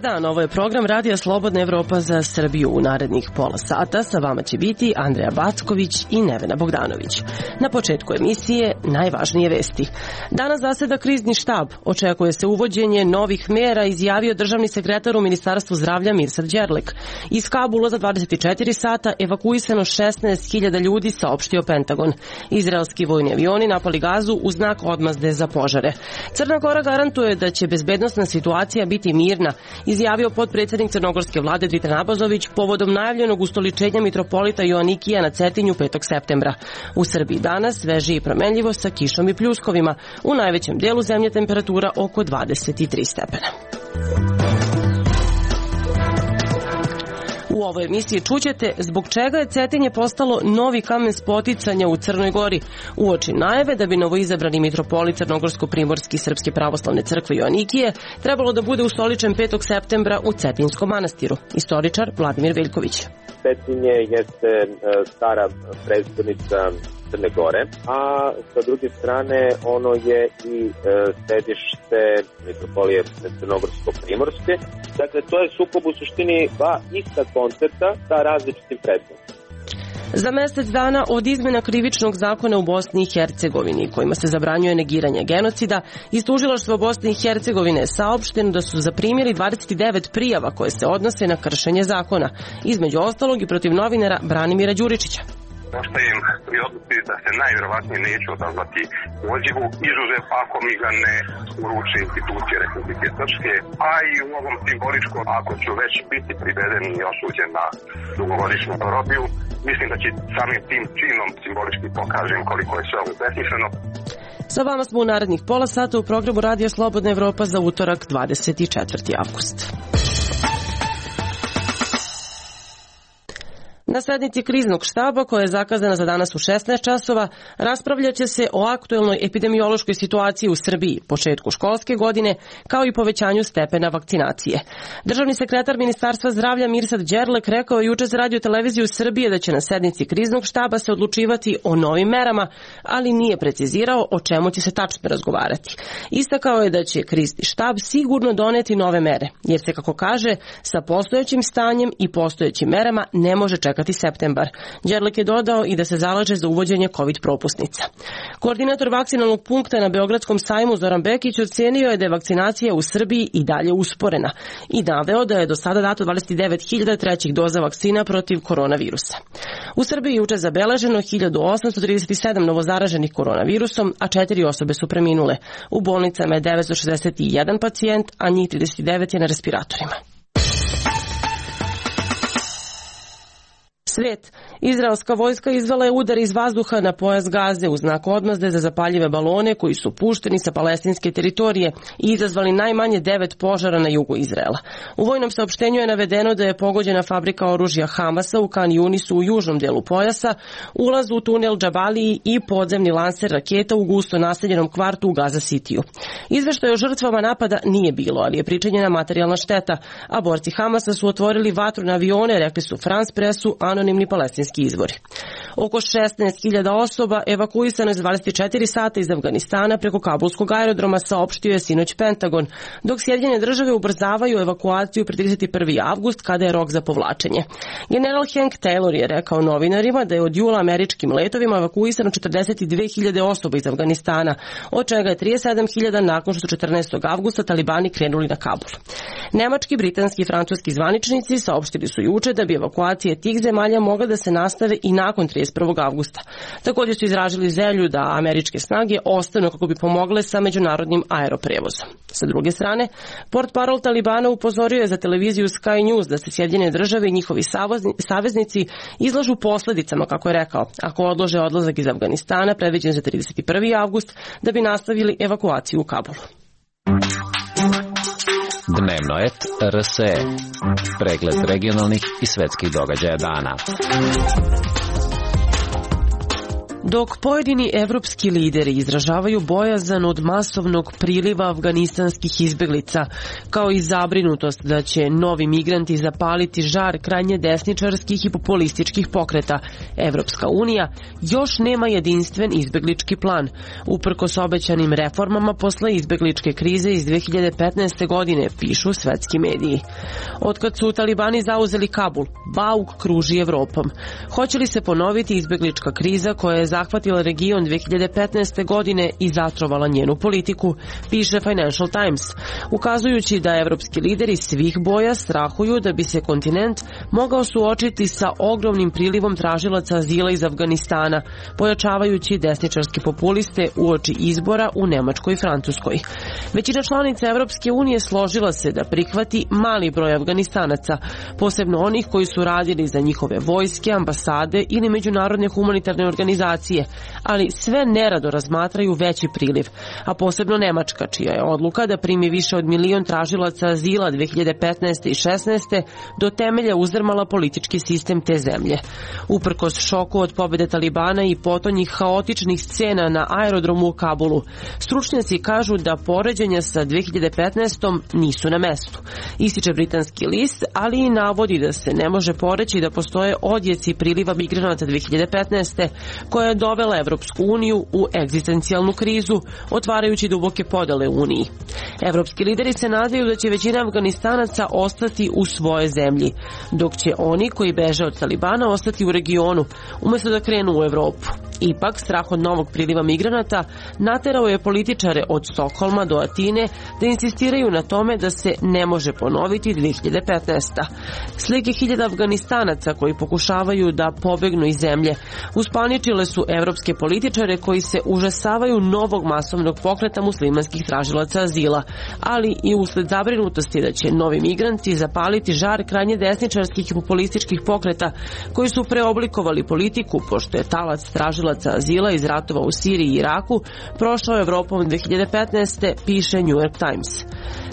Dan, ovo je program Radija Slobodna Evropa za Srbiju. U narednih pola sata sa vama će biti Andreja Backović i Nevena Bogdanović. Na početku emisije najvažnije vesti. Danas zaseda krizni štab. Očekuje se uvođenje novih mera, izjavio državni sekretar u Ministarstvu zdravlja Mirsad Đerlek. Iz Kabula za 24 sata evakuisano 16.000 ljudi, saopštio Pentagon. Izraelski vojni avioni napali Gazu u znak odmazde za požare. Crna Gora garantuje da će bezbednosna situacija biti mirna, izjavio potpredsjednik crnogorske vlade Dritan Abazović povodom najavljenog ustoličenja mitropolita Joanikija na Cetinju 5. septembra. U Srbiji danas sveže i promenljivo sa kišom i pljuskovima. U najvećem delu zemlje temperatura oko 23 stepena. U ovoj emisiji čućete zbog čega je Cetinje postalo novi kamen spoticanja u Crnoj Gori, uoči najave da bi novoizabrani mitropolit Crnogorsko-primorski Srpske pravoslavne crkve Joanikije trebalo da bude ustoličen 5. septembra u Cetinskom manastiru. Istoričar Vladimir Veljković. Cetinje jeste stara prestonica Crne Gore, a sa druge strane ono je i sedište mitropolije Crnogorsko-primorske. Dakle, to je sukob u suštini dva ista koncepta sa različitim predmetom. Za mesec dana od izmena krivičnog zakona u Bosni i Hercegovini, kojima se zabranjuje negiranje genocida, iz tužilaštva Bosne i Hercegovine je saopšteno da su zaprimili 29 prijava koje se odnose na kršenje zakona, između ostalog i protiv novinara Branimira Đuričića. Ostajem pri odluci da se najvjerovatnije neću odazvati pozivu, izuzev ako mi ga ne uruči institucije Republike Srpske, a i u ovom simboličkom, ako ću već biti priveden i osuđen na dugogodišnju robiju, mislim da će samim tim činom simbolički pokažem koliko je sve ovo besmisleno. Sa vama smo u narednih pola sata u programu Radija Slobodna Evropa za utorak 24. avgust. Na sednici kriznog štaba, koja je zakazana za danas u 16 časova, raspravljaće se o aktuelnoj epidemiološkoj situaciji u Srbiji, početku školske godine, kao i povećanju stepena vakcinacije. Državni sekretar Ministarstva zdravlja Mirsad Đerlek rekao je juče za Radio televiziju Srbije da će na sednici kriznog štaba se odlučivati o novim merama, ali nije precizirao o čemu će se tačno razgovarati. Istakao je da će krizni štab sigurno doneti nove mere, jer se, kako kaže, sa postojećim stanjem i postojećim merama ne može čekati septembar. Đerlek je dodao i da se zalaže za uvođenje COVID propusnica. Koordinator vakcinalnog punkta na Beogradskom sajmu Zoran Bekić ocenio je da je vakcinacija u Srbiji i dalje usporena i naveo da je do sada dato 29.000 trećih doza vakcina protiv koronavirusa. U Srbiji juče zabeleženo 1837 novozaraženih koronavirusom, a 4 osobe su preminule. U bolnicama je 961 pacijent, a njih 39 je na respiratorima. Svet. Izraelska vojska izvela je udar iz vazduha na pojas Gaze u znak odmazde za zapaljive balone koji su pušteni sa palestinske teritorije i izazvali najmanje 9 požara na jugu Izraela. U vojnom saopštenju je navedeno da je pogođena fabrika oružja Hamasa u Kan Junisu u južnom delu pojasa, ulaz u tunel Džabaliji i podzemni lanser raketa u gusto naseljenom kvartu u Gaza Citiju. Izveštaj o žrtvama napada nije bilo, ali je pričinjena materijalna šteta, a borci Hamasa su otvorili vatru na avione, rekli su France Pressu anonimni palestinski izvori. Oko 16.000 osoba evakuisano je za 24 sata iz Afganistana preko kabulskog aerodroma, saopštio je sinoć Pentagon, dok Sjedinjene države ubrzavaju evakuaciju pred 31. avgust kada je rok za povlačenje. General Hank Taylor je rekao novinarima da je od jula američkim letovima evakuisano 42.000 osoba iz Afganistana, od čega je 37.000 nakon što su 14. avgusta talibani krenuli na Kabul. Nemački, britanski i francuski zvaničnici saopštili su juče da bi evakuacije tih zemalja mogla da se nastave i nakon 31. avgusta. Također su izražili želju da američke snage ostanu kako bi pomogle sa međunarodnim aeroprevozom. Sa druge strane, portparol Talibana upozorio je za televiziju Sky News da se Sjedinjene države i njihovi saveznici izlažu posledicama, kako je rekao, ako odlože odlazak iz Afganistana predviđen za 31. avgust da bi nastavili evakuaciju u Kabulu. Dnevno et RSE. Pregled regionalnih i svetskih događaja dana. Dok pojedini evropski lideri izražavaju bojazan od masovnog priliva afganistanskih izbeglica, kao i zabrinutost da će novi migranti zapaliti žar krajnje desničarskih i populističkih pokreta, Evropska unija još nema jedinstven izbeglički plan, uprkos obećanim reformama posle izbegličke krize iz 2015. godine, pišu svetski mediji. Otkad su talibani zauzeli Kabul, bauk kruži Evropom. Hoće li se ponoviti izbeglička kriza koja je zahvatila region 2015. godine i zatrovala njenu politiku, piše Financial Times, ukazujući da evropski lideri svih boja strahuju da bi se kontinent mogao suočiti sa ogromnim prilivom tražilaca azila iz Afganistana, pojačavajući desničarske populiste uoči izbora u Nemačkoj i Francuskoj. Većina članica Evropske unije složila se da prihvati mali broj Afganistanaca, posebno onih koji su radili za njihove vojske, ambasade ili međunarodne humanitarne organizacije, ali sve nerado razmatraju veći priliv, a posebno Nemačka, čija je odluka da primi više od 1 milion tražilaca azila 2015. i 16. do temelja uzdrmala politički sistem te zemlje. Uprkos šoku od pobjede talibana i potonjih haotičnih scena na aerodromu u Kabulu, stručnjaci kažu da poređenja sa 2015. nisu na mestu. Ističe britanski list, ali i navodi da se ne može poreći da postoje odjeci priliva migranata 2015. koja je dovela Evropsku uniju u egzistencijalnu krizu, otvarajući duboke podele u Uniji. Evropski lideri se nadaju da će većina Afganistanaca ostati u svojoj zemlji, dok će oni koji beže od talibana ostati u regionu, umjesto da krenu u Evropu. Ipak, strah od novog priliva migranata naterao je političare od Stokholma do Atine da insistiraju na tome da se ne može ponoviti 2015. Slike hiljada Afganistanaca koji pokušavaju da pobegnu iz zemlje uspaničile su evropske političare koji se užasavaju novog masovnog pokreta muslimanskih tražilaca azila, ali i usled zabrinutosti da će novi migranti zapaliti žar krajnje desničarskih i populističkih pokreta koji su preoblikovali politiku, pošto je talac tražilaca azila iz ratova u Siriji i Iraku prošao Evropom 2015. piše New York Times.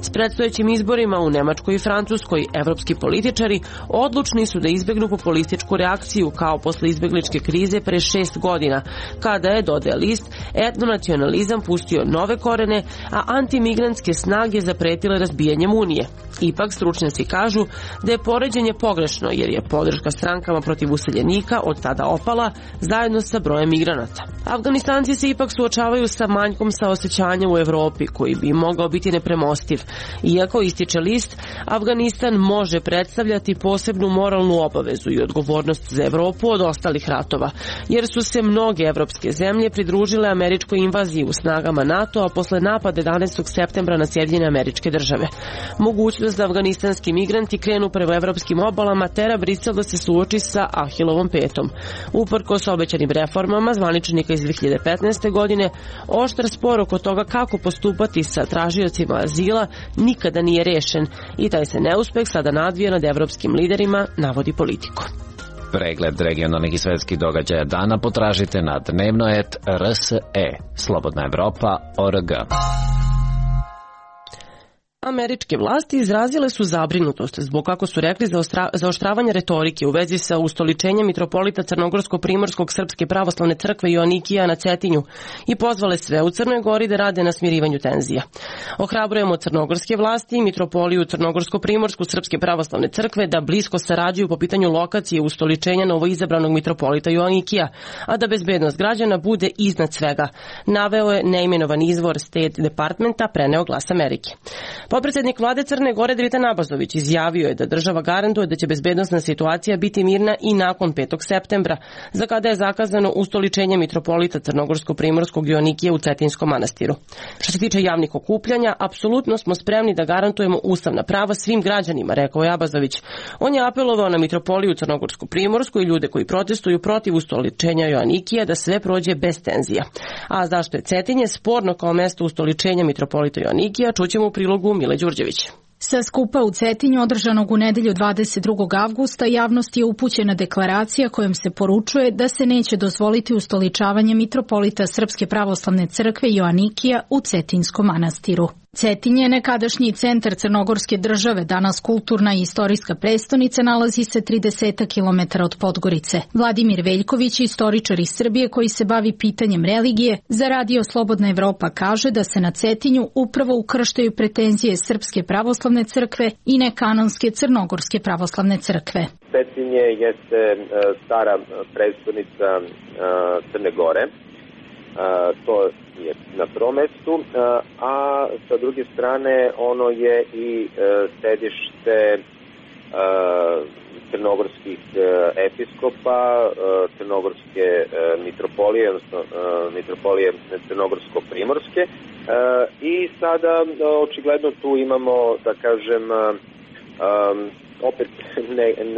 S predstojećim izborima u Nemačkoj i Francuskoj, evropski političari odlučni su da izbegnu populističku reakciju kao posle izbegličke krize pre 6 godina, kada je, dodaje list, etnonacionalizam pustio nove korene, a antimigrantske snage zapretile razbijanjem Unije. Ipak, stručnjaci kažu da je poređenje pogrešno, jer je podrška strankama protiv useljenika od tada opala zajedno sa brojem migranata. Afganistanci se ipak suočavaju sa manjkom saosećanja u Evropi, koji bi mogao biti nepremostiv. Iako, ističe list, Afganistan može predstavljati posebnu moralnu obavezu i odgovornost za Evropu od ostalih ratova, jer su se mnoge evropske zemlje pridružile američkoj invaziji u snagama NATO-a posle napada 11. septembra na Sjedinjene Američke Države. Mogućnost da afganistanski migranti krenu prema evropskim obalama tera Brisel da se suoči sa Ahilovom petom. Uprkos obećanim reformama zvaničnika iz 2015. godine, oštar spor oko toga kako postupati sa tražiocima azila nikada nije rešen i taj se neuspeh sada nadvija nad evropskim liderima, navodi Politico. Pregled regionalnih i svetskih događaja dana potražite na dnevnoet.rse. Slobodna Evropa.org. Američke vlasti izrazile su zabrinutost zbog, kako su rekli, zaoštravanja retorike u vezi sa ustoličenjem mitropolita Crnogorsko-Primorskog Srpske pravoslavne crkve Joanikija na Cetinju i pozvale sve u Crnoj Gori da rade na smirivanju tenzija. Ohrabrujemo crnogorske vlasti i mitropoliju Crnogorsko-Primorsku Srpske pravoslavne crkve da blisko sarađuju po pitanju lokacije ustoličenja novoizabranog mitropolita Joanikija, a da bezbednost građana bude iznad svega, naveo je neimenovan izvor State Departmenta, preneo Glas Amerike. Potpredsednik vlade Crne Gore Dritan Abazović izjavio je da država garantuje da će bezbednosna situacija biti mirna i nakon 5. septembra, za kada je zakazano ustoličenje mitropolita Crnogorsko-Primorskog Joanikija u Cetinskom manastiru. Što se tiče javnih okupljanja, apsolutno smo spremni da garantujemo ustavna prava svim građanima, rekao je Abazović. On je apelovao na mitropoliju Crnogorsko-Primorsku i ljude koji protestuju protiv ustoličenja Joanikija da sve prođe bez tenzija. A zašto je Cetinje sporno kao mesto ustoličenja mitropolita Joanikija, čućemo u prilogu Mile Đurđević. Sa skupa u Cetinju održanog u nedelju 22. avgusta javnosti je upućena deklaracija kojom se poručuje da se neće dozvoliti ustoličavanje mitropolita Srpske pravoslavne crkve Joanikija u Cetinskom manastiru. Cetinje, nekadašnji centar Crnogorske države, danas kulturna i istorijska prestonica, nalazi se 30 km od Podgorice. Vladimir Veljković, istoričar iz Srbije koji se bavi pitanjem religije, za Radio Slobodna Evropa kaže da se na Cetinju upravo ukrštaju pretenzije Srpske pravoslavne crkve i nekanonske Crnogorske pravoslavne crkve. Cetinje jeste stara prestonica Crne Gore. To je na prvom mestu, a sa druge strane ono je i sedište crnogorskih episkopa, crnogorske mitropolije, odnosno mitropolije crnogorsko-primorske, i sada očigledno tu imamo, da kažem, opet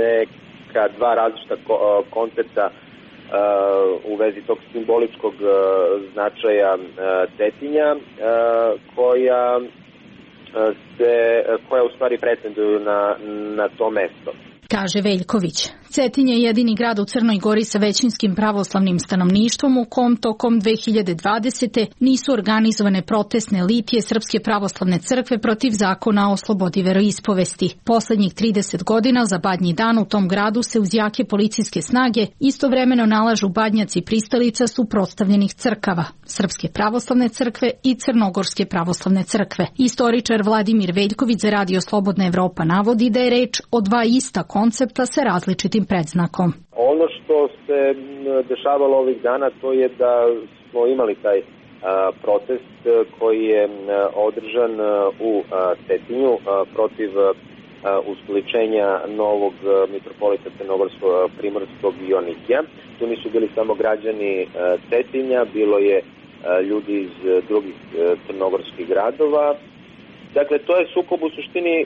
neka dva različita koncepta u vezi tog simboličkog značaja Cetinja, koja u stvari pretenduju na to mesto. Kaže Veljković. Cetinje je jedini grad u Crnoj Gori sa većinskim pravoslavnim stanovništvom u kom tokom 2020. nisu organizovane protestne litije Srpske pravoslavne crkve protiv zakona o slobodi veroispovesti. Poslednjih 30 godina za Badnji dan u tom gradu se uz jake policijske snage istovremeno nalažu badnjaci pristalica suprotstavljenih crkava, Srpske pravoslavne crkve i Crnogorske pravoslavne crkve. Istoričar Vladimir Veljković za Radio Slobodna Evropa navodi da je reč o dva ista koncepta sa različitim predznakom. Ono što se dešavalo ovih dana, to je da smo imali taj protest koji je održan u Cetinju protiv ustoličenja novog mitropolita Crnogorsko-primorskog Joanikija. Tu nisu bili samo građani Cetinja, bilo je ljudi iz drugih crnogorskih gradova. Dakle, to je sukob u suštini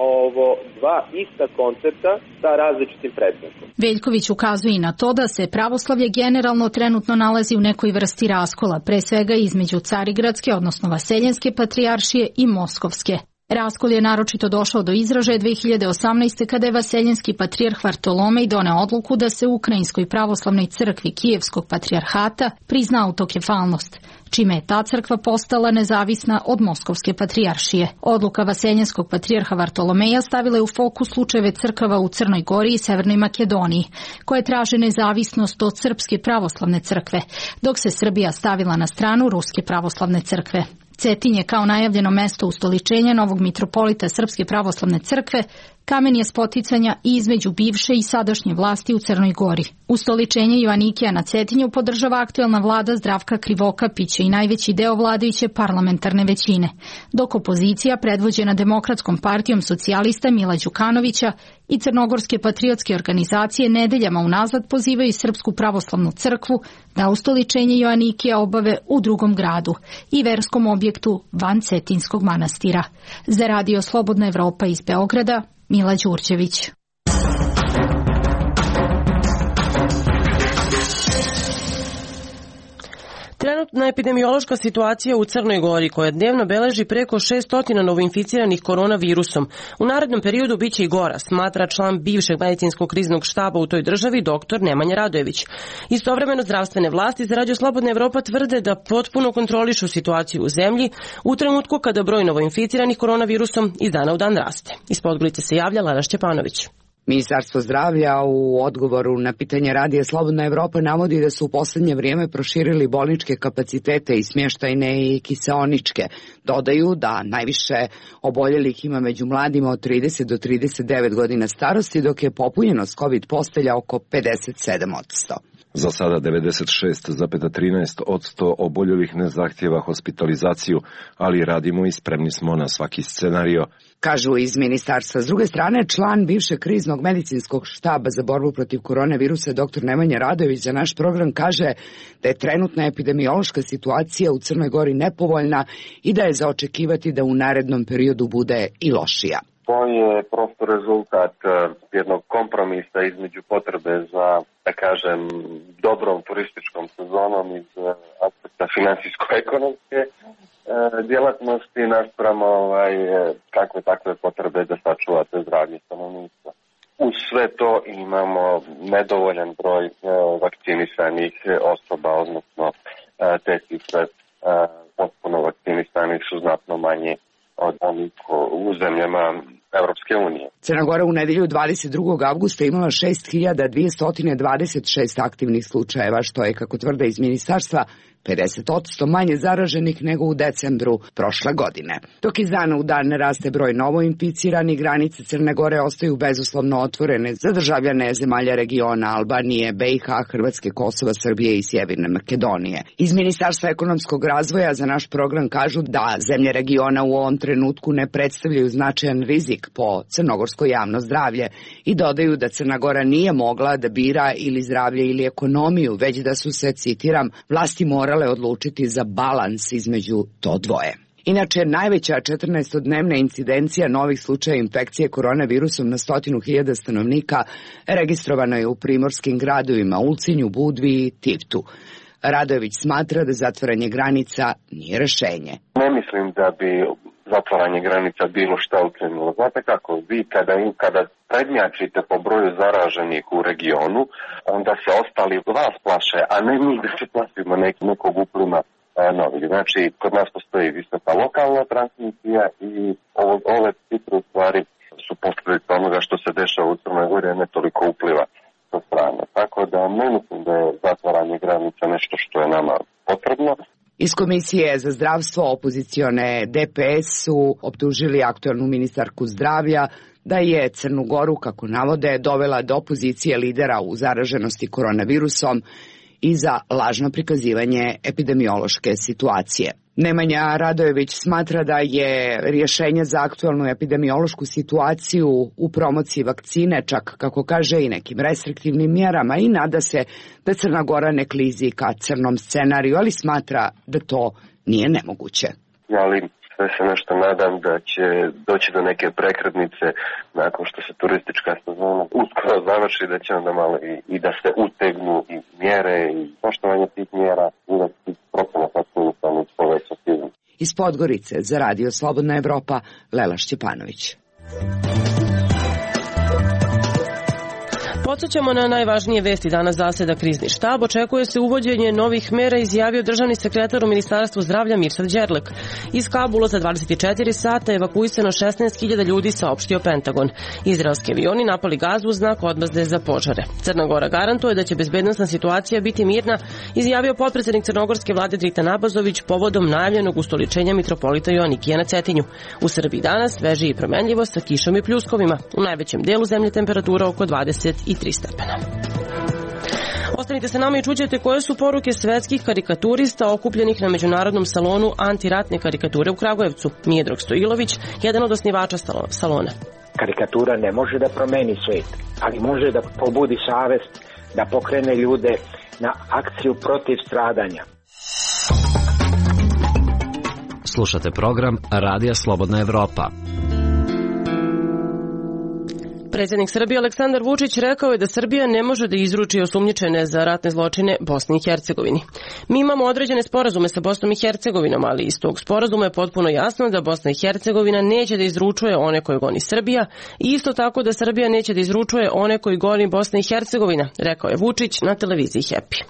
ovo dva ista koncepta sa različitim predznakom. Veljković ukazuje i na to da se pravoslavlje generalno trenutno nalazi u nekoj vrsti raskola, pre svega između Carigradske, odnosno Vaseljenske patrijaršije i Moskovske. Raskol je naročito došao do izražaja 2018. kada je Vaseljenski patrijarh Vartolomej doneo odluku da se Ukrajinskoj pravoslavnoj crkvi Kijevskog patrijarhata prizna autokefalnost, čime je ta crkva postala nezavisna od Moskovske patrijaršije. Odluka Vaseljenskog patrijarha Vartolomeja stavila je u fokus slučajeve crkava u Crnoj Gori i Severnoj Makedoniji, koje traže nezavisnost od Srpske pravoslavne crkve, dok se Srbija stavila na stranu Ruske pravoslavne crkve. Cetinje kao najavljeno mesto ustoličenja novog mitropolita Srpske pravoslavne crkve kamen je spoticanja i između bivše i sadašnje vlasti u Crnoj Gori. Ustoličenje Joanikija na Cetinju podržava aktuelna vlada Zdravka Krivokapića i najveći deo vladajuće parlamentarne većine, dok opozicija predvođena Demokratskom partijom socijalista Mila Đukanovića i crnogorske patriotske organizacije nedeljama unazad pozivaju Srpsku pravoslavnu crkvu da ustoličenje Joanikija obave u drugom gradu i verskom objektu van Cetinskog manastira. Za Radio Slobodna Evropa iz Beograda, Mila Đurđević. Trenutna epidemiološka situacija u Crnoj Gori, koja dnevno beleži preko 600 novoinficiranih koronavirusom, u narednom periodu biće i gora, smatra član bivšeg medicinskog kriznog štaba u toj državi, dr. Nemanja Radojević. Istovremeno zdravstvene vlasti za Radio Slobodna Evropa tvrde da potpuno kontrolišu situaciju u zemlji u trenutku kada broj novoinficiranih koronavirusom iz dana u dan raste. Iz Podgorice se javlja Lana Šćepanović. Ministarstvo zdravlja u odgovoru na pitanje Radija Slobodna Evropa navodi da su u poslednje vrijeme proširili bolničke kapacitete i smještajne i kiseoničke. Dodaju da najviše oboljelih ima među mladima od 30 do 39 godina starosti, dok je popunjenost COVID postelja oko 57%. Za sada 96,13% oboljelih ne zahtjeva hospitalizaciju, ali radimo i spremni smo na svaki scenario. Kažu iz ministarstva. S druge strane, član bivšeg kriznog medicinskog štaba za borbu protiv koronavirusa dr. Nemanja Radojević za naš program kaže da je trenutna epidemiološka situacija u Crnoj Gori nepovoljna i da je za očekivati da u narednom periodu bude i lošija. To je prosto rezultat jednog kompromisa između potrebe za, da kažem, dobrom turističkom sezonom iz aspekta finansijsko-ekonomske djelatnosti naspram takve potrebe da sačuvate zdravlje stanovništva. Uz sve to imamo nedovoljan broj vakcinisanih osoba, odnosno te cifre potpuno vakcinisani su znatno manje od onih u zemljama Evropske unije. Crna Gora u nedelju 22. avgusta imala 6.226 aktivnih slučajeva, što je, kako tvrde iz ministarstva, 50% manje zaraženih nego u decembru prošle godine. Dok iz dana u dan raste broj novoinficiranih, granice Crne Gore ostaju bezuslovno otvorene za državljane zemalja regiona Albanije, BiH, Hrvatske, Kosova, Srbije i Sjeverne Makedonije. Iz Ministarstva ekonomskog razvoja za naš program kažu da zemlje regiona u ovom trenutku ne predstavljaju značajan rizik po crnogorsko javno zdravlje i dodaju da Crna Gora nije mogla da bira ili zdravlje ili ekonomiju, već da su se, citiram, vlasti morale odlučiti za balans između to dvoje. Inače, najveća 14-dnevna incidencija novih slučaja infekcije koronavirusom na 100.000 stanovnika registrovano je u primorskim gradovima Ulcinju, Budvi i Tivtu. Radojević smatra da zatvaranje granica nije rešenje. Ne mislim da bi zatvaranje granica bilo šta ukrenulo. Znate kako, vi kada prednjačite po broju zaraženih u regionu, onda se ostali vas plaše, a ne mi da se plašimo nekog uplima novih. Znači, kod nas postoji visoka lokalna transmisija i ove cifre u stvari su posljedica onoga što se dešava u Crnoj Gori, a ne toliko upliva sa strane. Tako da ne mislim da je zatvaranje granica nešto što je nama potrebno. Iz Komisije za zdravstvo opozicione DPS su optužili aktualnu ministarku zdravlja da je Crnu Goru, kako navode, dovela do pozicije lidera u zaraženosti koronavirusom i za lažno prikazivanje epidemiološke situacije. Nemanja Radojević smatra da je rješenje za aktualnu epidemiološku situaciju u promociji vakcine, čak kako kaže i nekim restriktivnim mjerama, i nada se da Crna Gora ne klizi ka crnom scenariju, ali smatra da to nije nemoguće. Ali sve se nešto nadam da će doći do neke prekretnice nakon što se turistička sezona uskoro završi, da će onda malo i da se utegnu i mjere i poštovanje tih mjera i da se procena vakcinisanih poveća sigurno. Iz Podgorice za Radio Slobodna Evropa, Lela Šćepanović. Podsećamo na najvažnije vesti. Danas zaseda krizni štab. Očekuje se uvođenje novih mera, izjavio državni sekretar u Ministarstvu zdravlja Mirsad Đerlek. Iz Kabula za 24 sata evakuisano 16.000 ljudi, saopštio Pentagon. Izraelski avioni napali Gazu u znak odmazde za požare. Crna Gora garantuje da će bezbednosna situacija biti mirna, izjavio potpredsednik crnogorske vlade Dritan Abazović povodom najavljenog ustoličenja mitropolita Joanikija na Cetinju. U Srbiji danas sveže i promenljivo sa kišom i pljuskovima. U najvećem delu zemlje temperatura oko 23 stepena. Ostanite sa nama i čućete koje su poruke svetskih karikaturista okupljenih na međunarodnom salonu antiratne karikature u Kragujevcu. Mijedrag Stojilović, jedan od osnivača salona. Karikatura ne može da promeni svijet, ali može da pobudi savest, da pokrene ljude na akciju protiv stradanja. Slušate program Radija Slobodna Evropa. Predsjednik Srbije Aleksandar Vučić rekao je da Srbija ne može da izruči osumnjičene za ratne zločine Bosni i Hercegovini. Mi imamo određene sporazume sa Bosnom i Hercegovinom, ali iz tog sporazuma je potpuno jasno da Bosna i Hercegovina neće da izručuje one koje goni Srbija i isto tako da Srbija neće da izručuje one koji goni Bosna i Hercegovina, rekao je Vučić na televiziji Happy.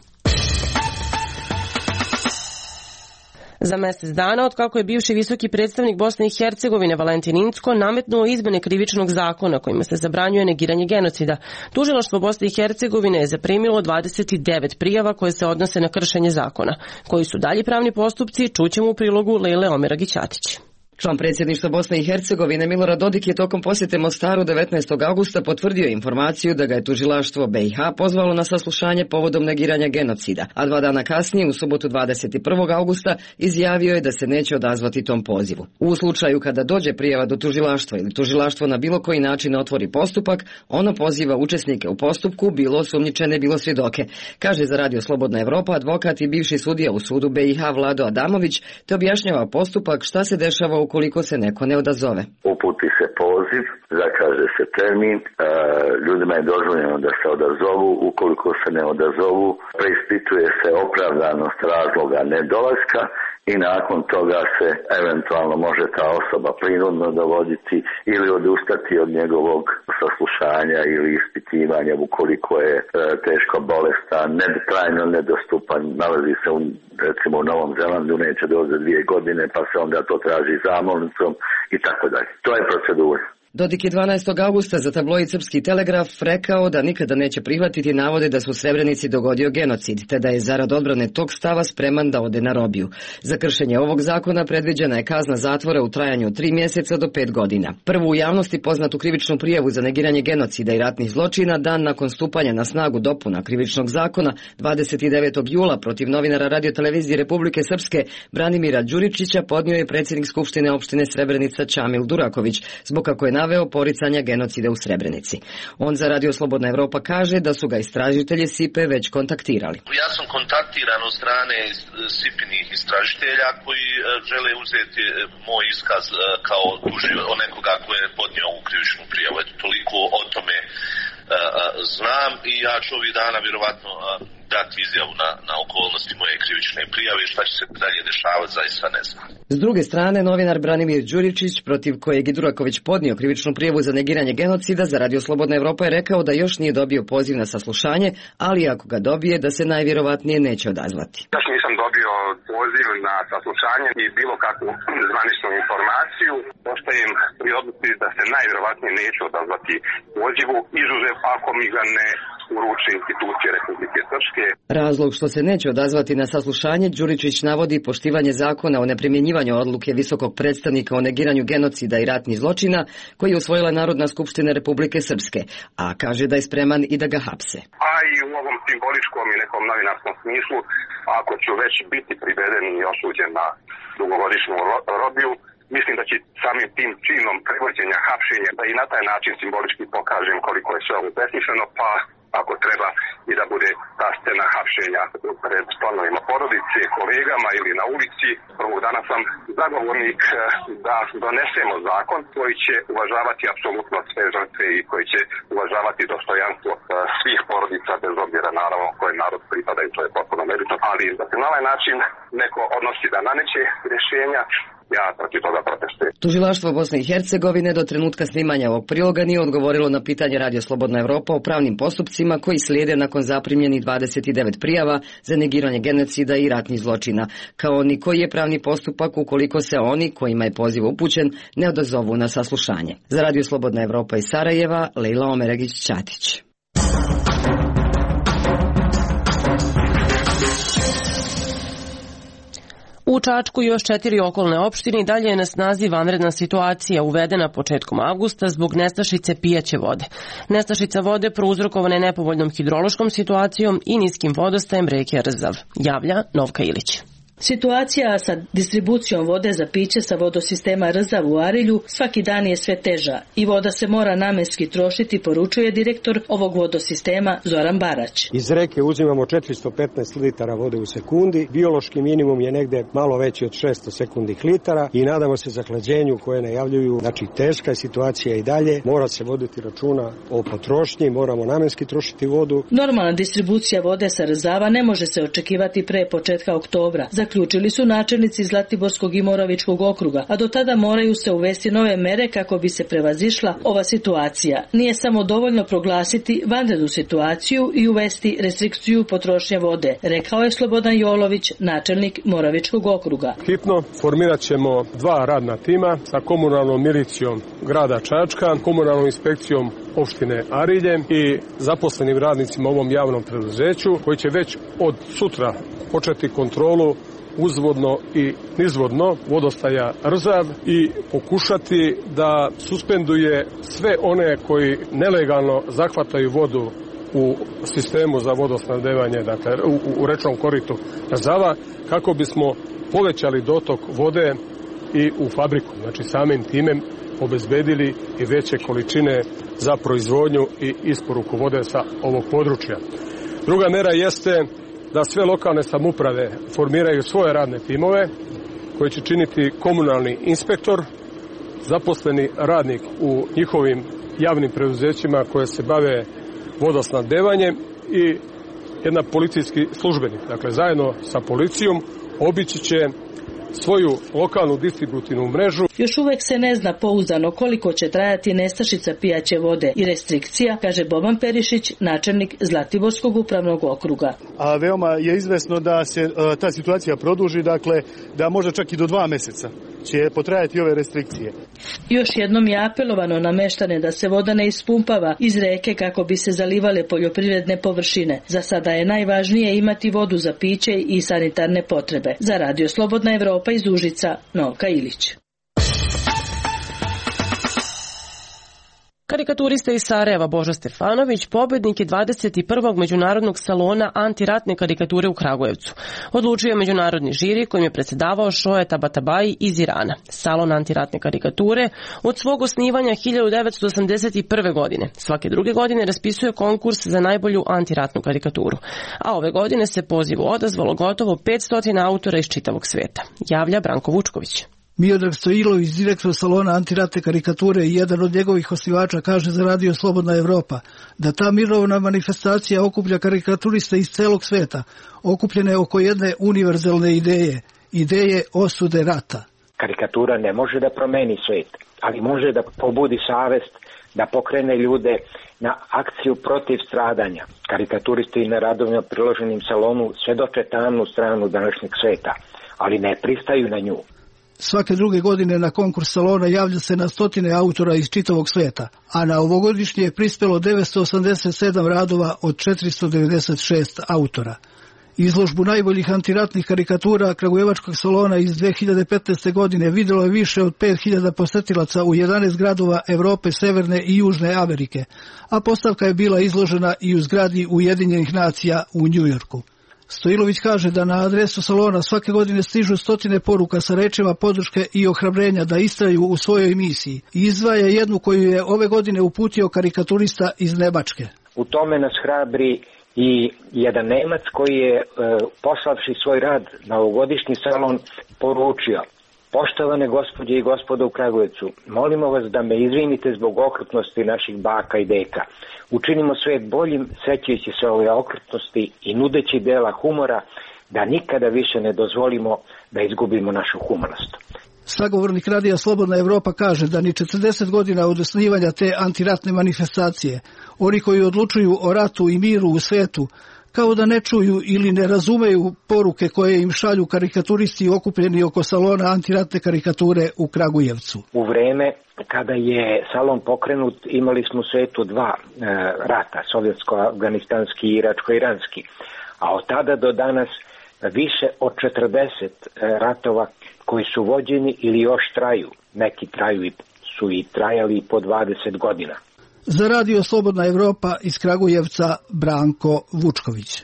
Za mjesec dana, od kako je bivši visoki predstavnik Bosne i Hercegovine Valentin Incko nametnuo izmene krivičnog zakona kojima se zabranjuje negiranje genocida, tužilaštvo Bosne i Hercegovine je zaprimilo 29 prijava koje se odnose na kršenje zakona. Koji su dalji pravni postupci, čućemo u prilogu Lejle Omeragić-Atić. Član predsjedništva Bosne i Hercegovine Milorad Dodik je tokom posjete Mostaru 19. augusta potvrdio informaciju da ga je tužilaštvo BiH pozvalo na saslušanje povodom negiranja genocida, a 2 dana kasnije, u subotu 21. augusta, izjavio je da se neće odazvati tom pozivu. U slučaju kada dođe prijava do tužilaštva ili tužilaštvo na bilo koji način otvori postupak, ono poziva učesnike u postupku, bilo osumnjičene, bilo svjedoke, kaže za Radio Slobodna Evropa advokat i bivši sudija u sudu BiH Vlado Adamović, te objašnjava postupak šta se dešava ukoliko se neko ne odazove. Uputi se poziv, zakaže se termin, ljudima je dozvoljeno da se odazovu, ukoliko se ne odazovu, preispituje se opravdanost razloga nedolaska i nakon toga se eventualno može ta osoba prinudno dovoditi ili odustati od njegovog saslušanja ili ispitivanja ukoliko je teško bolestan, trajno nedostupan, nalazi se recimo u Novom Zelandu, neće doći za 2 godine, pa se onda to traži zamolnicom i tako dalje. To je procedura. Dodik je 12. augusta za tabloid Srpski telegraf rekao da nikada neće prihvatiti navode da su u Srebrenici dogodio genocid, te da je zarad odbrane tog stava spreman da ode na robiju. Za kršenje ovog zakona predviđena je kazna zatvora u trajanju od 3 mjeseca do 5 godina. Prvu u javnosti poznatu krivičnu prijavu za negiranje genocida i ratnih zločina dan nakon stupanja na snagu dopuna krivičnog zakona 29. jula protiv novinara radiotelevizije Republike Srpske Branimira Đuričića podnio je predsjednik Skupštine opštine Srebrenica Čamil Duraković, zbog kako je naveo poricanja genocida u Srebrenici. On za Radio Slobodna Evropa kaže da su ga istražitelji SIPE već kontaktirali. Ja sam kontaktiran od strane SIPinih istražitelja koji žele uzeti moj iskaz kao nekoga ko je podnio ovu krivičnu prijavu. Eto, toliko o tome znam i ja ću ovih dana vjerovatno dati izjavu na okolnosti moje krivične prijave i šta će se dalje dešavati, zaista ne znam. S druge strane, novinar Branimir Đuričić, protiv kojeg je Duraković podnio krivičnu prijavu za negiranje genocida, za Radio Slobodna Evropa je rekao da još nije dobio poziv na saslušanje, ali ako ga dobije, da se najvjerovatnije neće odazvati. Još nisam dobio poziv na saslušanje i bilo kakvu zvaničnu informaciju. Ostajem pri odluci da se najvjerovatnije neću odazvati pozivu, izuzev ako mi ga ne uruče institucije Republike Srpske. Razlog što se neće odazvati na saslušanje, Đuričić navodi poštivanje zakona o neprimjenjivanju odluke visokog predstavnika o negiranju genocida i ratnih zločina koji je usvojila Narodna skupština Republike Srpske, a kaže da je spreman i da ga hapse. A i u ovom simboličkom i nekom novinarskom smislu, ako ću već biti priveden i osuđen na dugogodišnju robiju, mislim da će samim tim činom prevođenja, hapšenja, da i na taj način simbolički pokažem koliko je sve ovo besmisleno, pa ako treba i da bude ta scena hapšenja pred članovima porodice, kolegama ili na ulici. Prvog dana sam zagovornik da donesemo zakon koji će uvažavati apsolutno sve žrtve i koji će uvažavati dostojanstvo svih porodica, bez obzira naravno koje narod pripada i to je potpuno nebitno. Ali da se na ovaj način neko odnosi da nameće rješenja, ja protiv toga protestujem. Tužilaštvo Bosne i Hercegovine do trenutka snimanja ovog priloga nije odgovorilo na pitanje Radio Slobodna Evropa o pravnim postupcima koji slijede nakon zaprimljenih 29 prijava za negiranje genocida i ratnih zločina, kao ni koji je pravni postupak ukoliko se oni, kojima je poziv upućen, ne odazovu na saslušanje. Za Radio Slobodna Evropa iz Sarajeva, Lejla Omeregić-Ćatić. U Čačku i još 4 okolne opštine i dalje je na snazi vanredna situacija uvedena početkom avgusta zbog nestašice pijaće vode. Nestašica vode prouzrokovana je nepovoljnom hidrološkom situacijom i niskim vodostajem reke Rzav, javlja Novka Ilić. Situacija sa distribucijom vode za piće sa vodosistema Rzav u Arilju svaki dan je sve teža i voda se mora namenski trošiti, poručuje direktor ovog vodosistema Zoran Barać. Iz reke uzimamo 415 litara vode u sekundi, biološki minimum je negde malo veći od 600 sekundnih litara i nadamo se zahlađenju koje najavljuju. Znači teška je situacija i dalje, mora se voditi računa o potrošnji, moramo namenski trošiti vodu. Normalna distribucija vode sa Rzava ne može se očekivati pre početka oktobra. Zaključili su načelnici Zlatiborskog i Moravičkog okruga, a do tada moraju se uvesti nove mere kako bi se prevazišla ova situacija. Nije samo dovoljno proglasiti vanrednu situaciju i uvesti restrikciju potrošnje vode, rekao je Slobodan Jolović, načelnik Moravičkog okruga. Hitno formirat ćemo 2 radna tima sa komunalnom milicijom grada Čačka, komunalnom inspekcijom opštine Arilje i zaposlenim radnicima u ovom javnom preduzeću koji će već od sutra početi kontrolu uzvodno i nizvodno vodostaja Rzav i pokušati da suspenduje sve one koji nelegalno zahvataju vodu u sistemu za vodosnabdevanje, dakle u rečnom koritu Rzava, kako bismo povećali dotok vode i u fabriku. Znači samim time obezbedili i veće količine za proizvodnju i isporuku vode sa ovog područja. Druga mera jeste da sve lokalne samouprave formiraju svoje radne timove koje će činiti komunalni inspektor, zaposleni radnik u njihovim javnim preduzećima koje se bave vodosnabdevanjem i jedan policijski službenik. Dakle, zajedno sa policijom obići će svoju lokalnu distributivnu mrežu. Još uvek se ne zna pouzdano koliko će trajati nestašica pijaće vode i restrikcija, kaže Boban Perišić, načelnik Zlatiborskog upravnog okruga. A veoma je izvesno da se ta situacija produži, dakle da možda čak i do 2 meseca će potrajati ove restrikcije. Još jednom je apelovano na meštane da se voda ne ispumpava iz reke kako bi se zalivale poljoprivredne površine. Za sada je najvažnije imati vodu za piće i sanitarne potrebe. Za Radio Slobodna Evropa iz Užica, Novka Ilić. Karikaturista iz Sarajeva Božo Stefanović pobednik je 21. međunarodnog salona antiratne karikature u Kragujevcu. Odlučio je međunarodni žiri kojim je predsjedavao Šoje Tabatabai iz Irana. Salon antiratne karikature od svog osnivanja 1981. godine. Svake druge godine raspisuje konkurs za najbolju antiratnu karikaturu. A ove godine se pozivu odazvalo gotovo 500 autora iz čitavog sveta. Javlja Branko Vučković. Miodrag Stojilović, direktor salona antiratne karikature i jedan od njegovih osnivača, kaže za Radio Slobodna Evropa da ta mirovna manifestacija okuplja karikaturiste iz celog sveta, okupljene oko jedne univerzalne ideje osude rata. Karikatura ne može da promeni svet, ali može da pobudi savest, da pokrene ljude na akciju protiv stradanja. Karikaturisti na radovima priloženim salonu svedoče tamnu stranu današnjeg sveta, ali ne pristaju na nju. Svake druge godine na konkurs salona javlja se na stotine autora iz čitavog sveta, a na ovogodišnje je prispelo 987 radova od 496 autora. Izložbu najboljih antiratnih karikatura Kragujevačkog salona iz 2015. godine vidjelo je više od 5000 posetilaca u 11 gradova Evrope, Severne i Južne Amerike, a postavka je bila izložena i u zgradi Ujedinjenih nacija u Njujorku. Stojilović kaže da na adresu salona svake godine stižu stotine poruka sa rečima podrške i ohrabrenja da istraju u svojoj misiji. Izdvaja jednu koju je ove godine uputio karikaturista iz Nemačke. U tome nas hrabri i jedan Nemac koji je poslavši svoj rad na ovogodišnji salon poručio: poštovane gospođe i gospodo u Kragujevcu, molimo vas da me izvinite zbog okrutnosti naših baka i deka. Učinimo svet boljim, sećajući se ove okrutnosti i nudeći dela humora, da nikada više ne dozvolimo da izgubimo našu humanost. Sagovornik Radija Slobodna Evropa kaže da ni 40 godina od osnivanja te antiratne manifestacije, oni koji odlučuju o ratu i miru u svetu, kao da ne čuju ili ne razumeju poruke koje im šalju karikaturisti okupljeni oko salona antiratne karikature u Kragujevcu. U vreme kada je salon pokrenut imali smo u svetu 2 rata, sovjetsko-afganistanski i iračko-iranski, a od tada do danas više od 40 ratova koji su vođeni ili još traju. Neki su i trajali po 20 godina. Za Radio Slobodna Evropa iz Kragujevca Branko Vučković.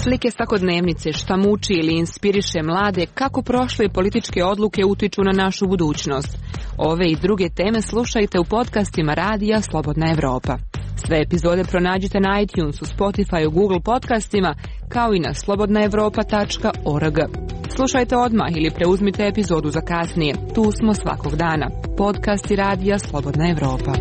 Slike svakodnevnice, šta muči ili inspiriše mlade, kako prošle političke odluke utiču na našu budućnost. Ove i druge teme slušajte u podcastima Radija Slobodna Evropa. Sve epizode pronađite na iTunesu, Spotify, Google podcastima, kao i na slobodnaevropa.org. Slušajte odmah ili preuzmite epizodu za kasnije. Tu smo svakog dana. Podcasti Radija Slobodna Evropa.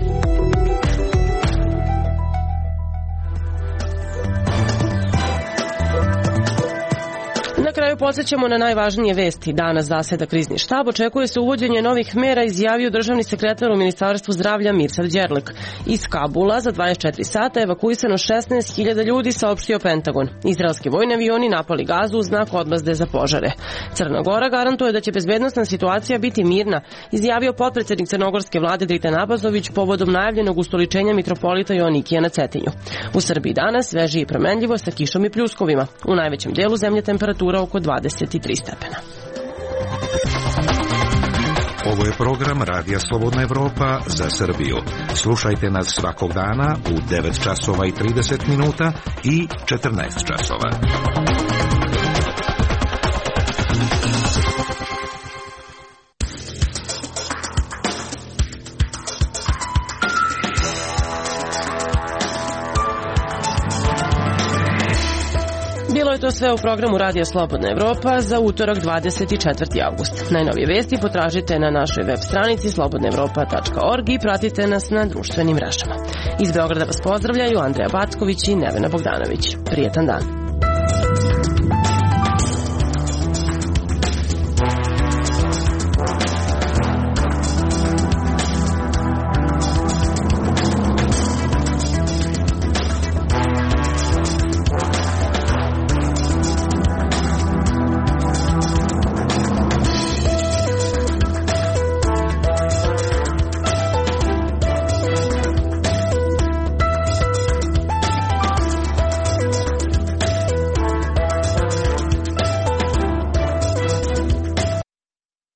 Na kraju podsjećamo na najvažnije vesti. Danas zaseda krizni štab, očekuje se uvođenje novih mera, izjavio državni sekretar u Ministarstvu zdravlja Mirsad Đerlek. Iz Kabula za 24 sata evakuisano 16.000 ljudi, saopštio Pentagon. Izraelski vojni avioni napali Gazu u znak odmazde za požare. Crna Gora garantuje da će bezbednosna situacija biti mirna, izjavio potpredsednik crnogorske vlade Dritan Abazović povodom najavljenog ustoličenja mitropolita Joanikija na Cetinju. U Srbiji danas sveže i promenljivo sa kišom i pljuskovima. U najvećem delu zemlje temperatura oko 23 stepena. Ovo je program Radija Slobodna Evropa za Srbiju. Slušajte nas svakog dana u 9 časova i 30 minuta i 14 časova. Bilo je to sve u programu Radija Slobodna Evropa za utorak 24. avgust. Najnovije vesti potražite na našoj web stranici slobodnaevropa.org i pratite nas na društvenim mrežama. Iz Beograda vas pozdravljaju Andreja Backović i Nevena Bogdanović. Prijetan dan.